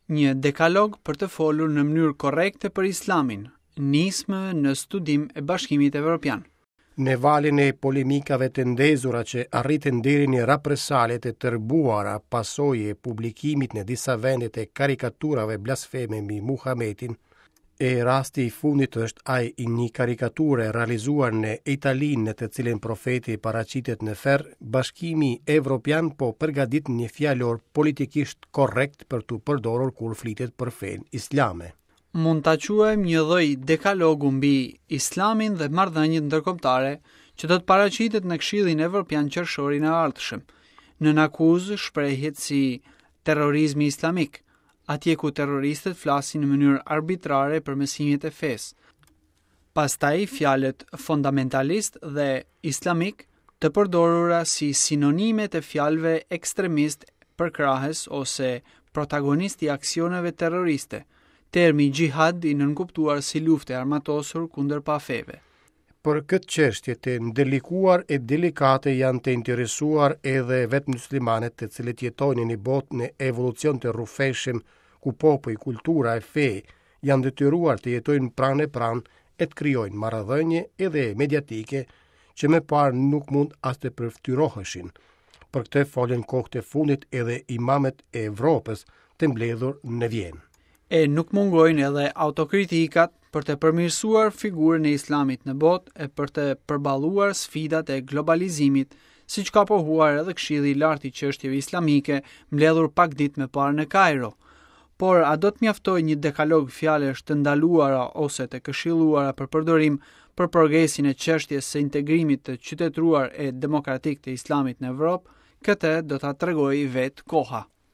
Një dekalog për të folur në mënyrë korrekte për Islamin, nismë në studim e Bashkimit Evropian. Në valën e polemikave të ndezura që arritën deri në represalje të tërbuara pasojë e publikimit në disa vende të karikaturave blasfeme mbi Muhametin, E rasti i fundit është ai i një karikature realizuar në Itali në të cilën profeti paraqitet në ferr, Bashkimi Evropian po përgatit një fjalor politikisht korrekt për t'u përdorur kur flitet për fenë islame. Mund ta quajmë një lloj dekalogu mbi Islamin dhe marrëdhëniet ndërkombëtare që do të paraqitet në Këshillin Evropian qershorin e ardhshëm. Nën akuzë shprehjet si terrorizmi islamik, atje ku terroristët flasin në mënyrë arbitrare për mësimet e fesë. Pastaj fjalët fondamentalist dhe islamik të përdorura si sinonime të fjalëve ekstremist përkrahës ose protagonist i aksioneve terroriste, termi xhihad i nënkuptuar si luftë e armatosur kundër pafeve. Për këtë çështje të ndërlikuar e delikate janë të interesuar edhe vetë myslimanët të cilët jetojnë në një botë në evolucion të rrufeshëm ku popuj, kultura e fe janë detyruar të jetojnë pranë e pranë e të krijojnë marrëdhënie edhe mediatike që më parë nuk mund as të përfytyroheshin. Për këtë folën kohët e fundit edhe imamët e Evropës të mbledhur në Vjenë. E nuk mungojnë edhe autokritikat për të përmirësuar figurën e Islamit në botë e për të përballuar sfidat e globalizimit, siç ka pohuar edhe Këshilli i Lartë i Çështjeve Islamike, mbledhur pak ditë më parë në Kajro. Por a do të mjaftojë një dekalog fjalësh të ndaluara ose të këshilluara për përdorim për progresin e çështjes së integrimit të qytetëruar e demokratik të Islamit në Evropë, këtë do ta tregojë vetë koha.